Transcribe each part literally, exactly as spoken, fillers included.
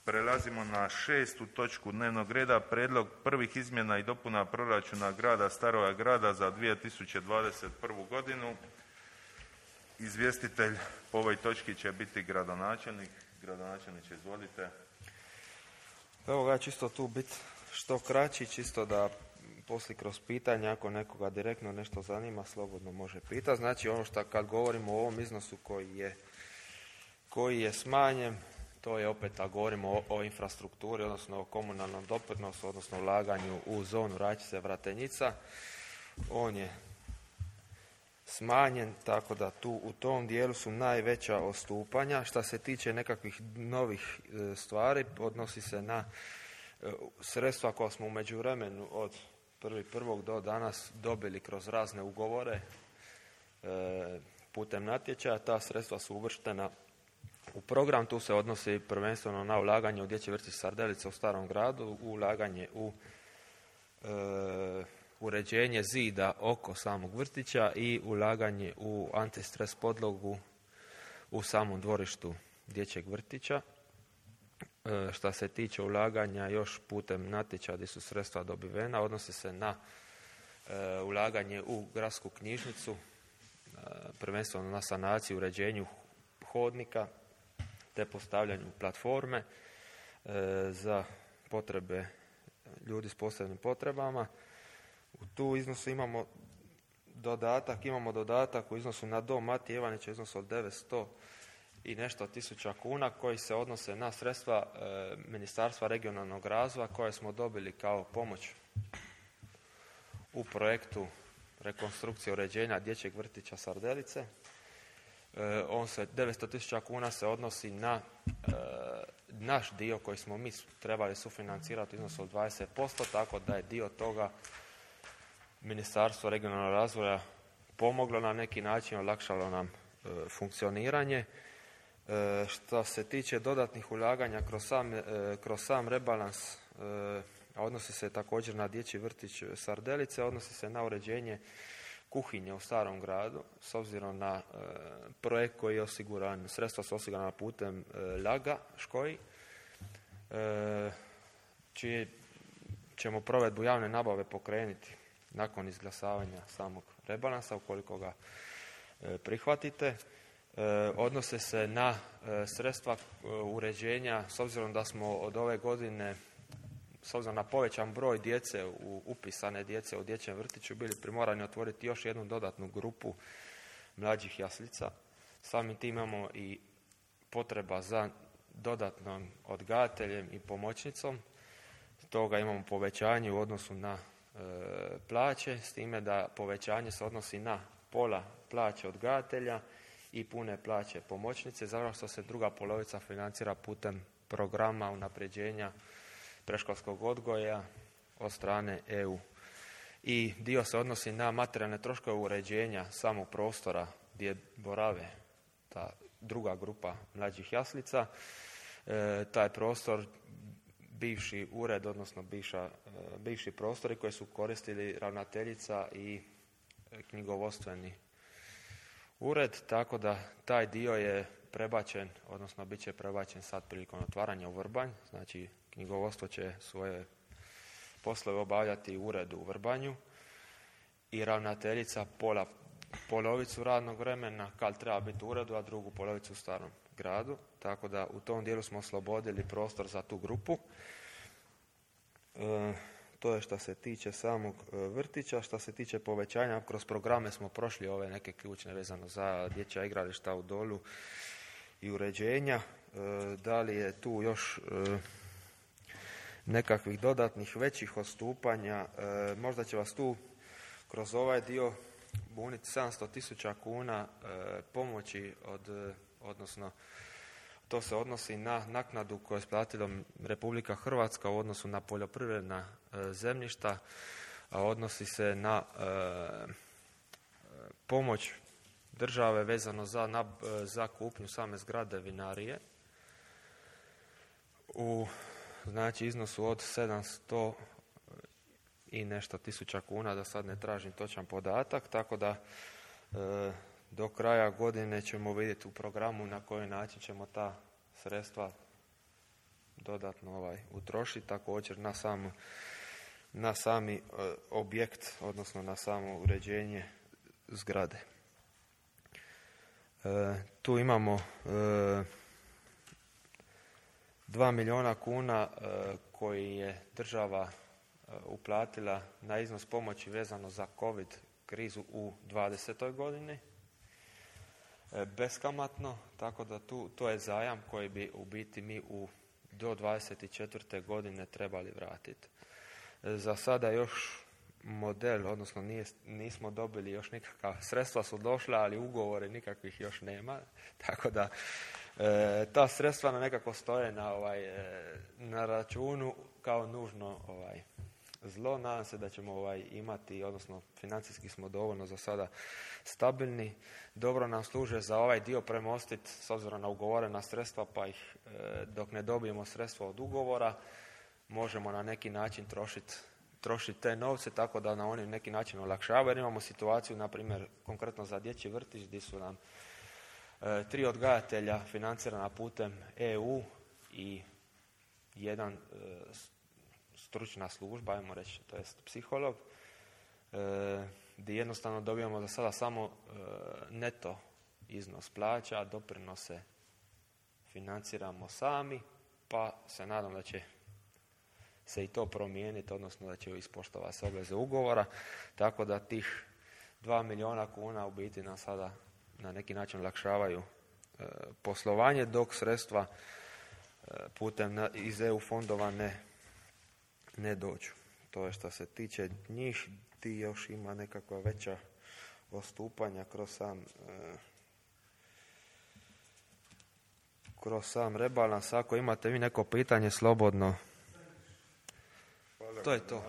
Prelazimo na šestu točku dnevnog reda, prijedlog prvih izmjena i dopuna proračuna grada Staroga Grada za dvije tisuće dvadeset prvu. godinu. Izvjestitelj po ovoj točki će biti gradonačelnik. Gradonačelniče, izvolite. Evo ga, čisto tu biti što kraći, čisto da poslije kroz pitanja, ako nekoga direktno nešto zanima, slobodno može pitati. Znači, ono što kad govorimo o ovom iznosu koji je, koji je smanjen, to je opet, a govorimo o, o infrastrukturi, odnosno o komunalnom doprinosu, odnosno ulaganju u zonu Račice-Vratenjica. On je smanjen, tako da tu u tom dijelu su najveća odstupanja. Što se tiče nekakvih novih e, stvari, odnosi se na e, sredstva koja smo u međuvremenu od prvog prvog do danas dobili kroz razne ugovore e, putem natječaja. Ta sredstva su uvrštena u program. Tu se odnosi prvenstveno na ulaganje u dječji vrtić Sardelice u Starom Gradu, ulaganje u e, uređenje zida oko samog vrtića i ulaganje u antistres podlogu u samom dvorištu dječjeg vrtića. E, što se tiče ulaganja još putem natječaja gdje su sredstva dobivena, odnosi se na e, ulaganje u gradsku knjižnicu, e, prvenstveno na sanaciju, uređenju hodnika te postavljanju platforme e, za potrebe ljudi s posebnim potrebama. U tu iznosu imamo dodatak, imamo dodatak u iznosu na dom Matije Ivanića u iznosu od devetsto i nešto tisuća kuna koji se odnose na sredstva e, Ministarstva regionalnog razvoja koje smo dobili kao pomoć u projektu rekonstrukcije uređenja dječjeg vrtića Sardelice. E, on se, devetsto tisuća kuna se odnosi na e, naš dio koji smo mi trebali sufinancirati u iznosu od dvadeset posto, tako da je dio toga Ministarstvo regionalnog razvoja pomoglo na neki način, olakšalo nam e, funkcioniranje. E, što se tiče dodatnih ulaganja kroz sam, e, kroz sam rebalans, e, odnosi se također na dječji vrtić Sardelice, odnosi se na uređenje kuhinje u Starom Gradu, s obzirom na e, projekt koji je osiguran, sredstva su osigurana putem e, Laga Škoji, e, čije ćemo provedbu javne nabave pokrenuti nakon izglasavanja samog rebalansa, ukoliko ga e, prihvatite. E, odnose se na e, sredstva e, uređenja, s obzirom da smo od ove godine, s obzirom na povećan broj djece, u, upisane djece u dječjem vrtiću, bili primorani otvoriti još jednu dodatnu grupu mlađih jaslica. Samim tim imamo i potreba za dodatnom odgajateljem i pomoćnicom. Stoga imamo povećanje u odnosu na e, plaće, s time da povećanje se odnosi na pola plaće odgajatelja i pune plaće pomoćnice, zato što se druga polovica financira putem programa unapređenja predškolskog odgoja od strane E U. I dio se odnosi na materijalne troškove uređenja samog prostora gdje borave ta druga grupa mlađih jaslica. E, taj prostor, bivši ured, odnosno bivša, e, bivši prostori koji su koristili ravnateljica i knjigovodstveni ured, tako da taj dio je prebačen, odnosno bit će prebačen sad prilikom otvaranja u Vrbanj. Znači, knjigovodstvo će svoje poslove obavljati u uredu u Vrbanju i ravnateljica pola, polovicu radnog vremena kad treba biti u uredu, a drugu polovicu u Starom Gradu. Tako da u tom dijelu smo oslobodili prostor za tu grupu. E, to je što se tiče samog vrtića. Što se tiče povećanja, kroz programe smo prošli ove neke ključne vezano za dječja igrališta u Dolu i uređenja. E, da li je tu još e, nekakvih dodatnih većih odstupanja? E, možda će vas tu kroz ovaj dio buniti sedamsto tisuća kuna e, pomoći od, odnosno to se odnosi na naknadu koju je isplatila Republika Hrvatska u odnosu na poljoprivredna e, zemljišta, a odnosi se na e, pomoć države vezano za, na, za kupnju same zgrade vinarije u znači iznosu od sedamsto i nešto tisuća kuna, da sad ne tražim točan podatak, tako da e, do kraja godine ćemo vidjeti u programu na koji način ćemo ta sredstva dodatno ovaj, utrošiti, također na, sam, na sami e, objekt, odnosno na samo uređenje zgrade. E, tu imamo e, dva milijuna kuna e, koji je država e, uplatila na iznos pomoći vezano za COVID krizu u dvadesetoj godini. Beskamatno, tako da tu, to je zajam koji bi u biti mi u, do dvadeset četvrte godine trebali vratiti. Za sada još model, odnosno nije, nismo dobili još nikakva, sredstva su došla, ali ugovore nikakvih još nema, tako da e, ta sredstva na nekako stoje na, ovaj, e, na računu kao nužno ovaj, zlo. Nadam se da ćemo ovaj, imati, odnosno financijski smo dovoljno za sada stabilni. Dobro nam služe za ovaj dio premostiti s obzirom na ugovorena sredstva, pa ih e, dok ne dobijemo sredstva od ugovora možemo na neki način trošiti trošiti te novce, tako da na oni neki način olakšavaju. Jer imamo situaciju, na primjer, konkretno za dječji vrtić, gdje su nam e, tri odgajatelja financirana putem E U i jedan e, stručna služba, ajmo reći, to jest psiholog, e, gdje jednostavno dobijamo za sada samo e, neto iznos plaća, doprinose financiramo sami, pa se nadam da će se i to promijeniti, odnosno da će ispoštovati se obveze ugovora, tako da tih dva milijuna kuna u biti nam sada na neki način olakšavaju e, poslovanje, dok sredstva e, putem na, iz E U fondova ne, ne dođu. To je što se tiče njih, ti još ima nekakva veća odstupanja kroz sam e, kroz sam rebalans. Ako imate vi neko pitanje, slobodno. To je to.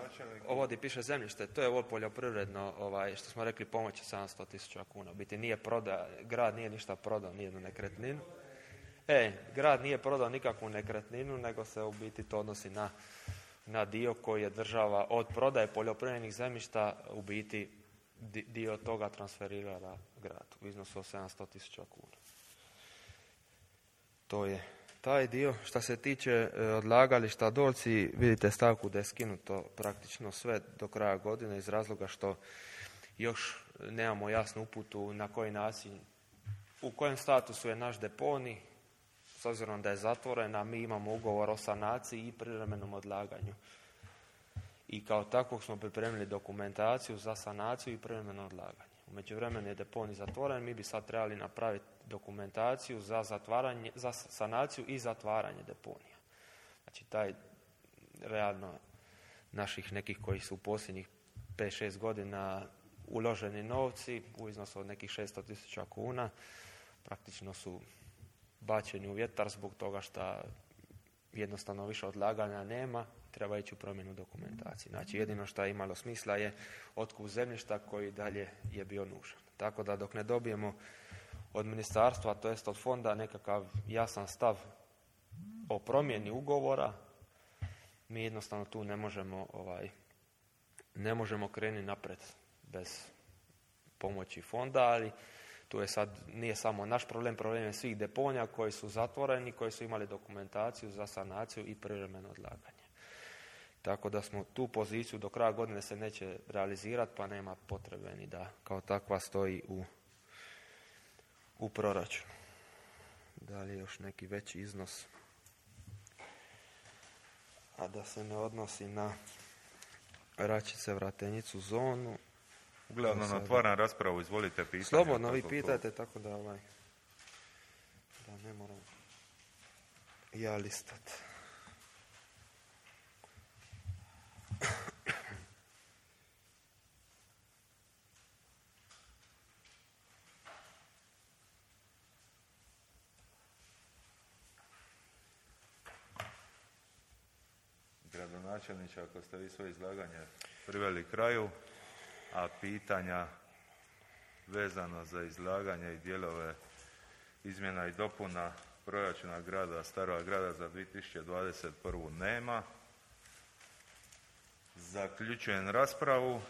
Ovo gdje piše zemljište, to je ovo poljoprivredno, ovaj, što smo rekli, pomoći sedamsto tisuća kuna. U biti nije prodao, grad nije ništa prodao, nijednu nekretninu. E, grad nije prodao nikakvu nekretninu, nego se u biti to odnosi na, na dio koji je država od prodaje poljoprivrednih zemljišta u biti dio toga transferirala gradu u iznosu od sedamsto tisuća kuna. To je taj dio. Što se tiče e, odlagališta Dolci, vidite stavku da je skinuto praktično sve do kraja godine iz razloga što još nemamo jasnu uputu na koji način, u kojem statusu je naš deponij, s obzirom da je zatvorena, mi imamo ugovor o sanaciji i privremenom odlaganju. I kao takvog smo pripremili dokumentaciju za sanaciju i privremeno odlaganje. U međuvremenu je deponij zatvoren, mi bi sad trebali napraviti dokumentaciju za, zatvaranje, za sanaciju i zatvaranje deponija. Znači taj realno naših nekih koji su u posljednjih pet šest godina uloženi novci u iznosu od nekih šesto tisuća kuna praktično su bačeni u vjetar zbog toga što jednostavno više odlaganja nema, treba ići u promjenu dokumentacije. Znači jedino što je imalo smisla je otkup zemljišta koji dalje je bio nužan. Tako da dok ne dobijemo od ministarstva, to jest od fonda, nekakav jasan stav o promjeni ugovora, mi jednostavno tu ne možemo ovaj, ne možemo krenuti napred bez pomoći fonda, ali tu je sad, nije samo naš problem, problem je svih deponija koji su zatvoreni, koji su imali dokumentaciju za sanaciju i privremeno odlaganje. Tako da smo tu poziciju do kraja godine se neće realizirati, pa nema potrebe ni da kao takva stoji u, u proračunu. Da li je još neki veći iznos, a da se ne odnosi na Račice, Vratenicu, zonu. Uglavnom, sada otvaram raspravu, izvolite pitanje. Slobodno vi pitajte, tako da ovaj, da ne moram ja listat. Gradonačelniče, ako ste vi svoje izlaganje priveli kraju, a pitanja vezano za izlaganje i dijelove izmjena i dopuna proračuna grada Starog grada za dvije tisuće dvadeset prvu nema, zaključujem raspravu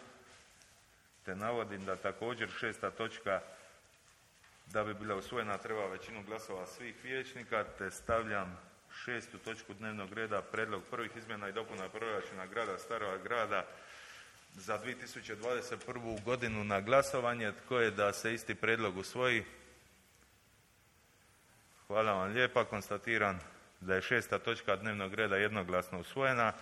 te navodim da također šesta točka, da bi bila usvojena, treba većinu glasova svih vijećnika, te stavljam šestu točku dnevnog reda, predlog prvih izmjena i dopuna proračuna grada Starog Grada za dvije tisuće dvadeset prvu. godinu na glasovanje. Tko je da se isti predlog usvoji? Hvala vam lijepa. Konstatiram da je šesta točka dnevnog reda jednoglasno usvojena.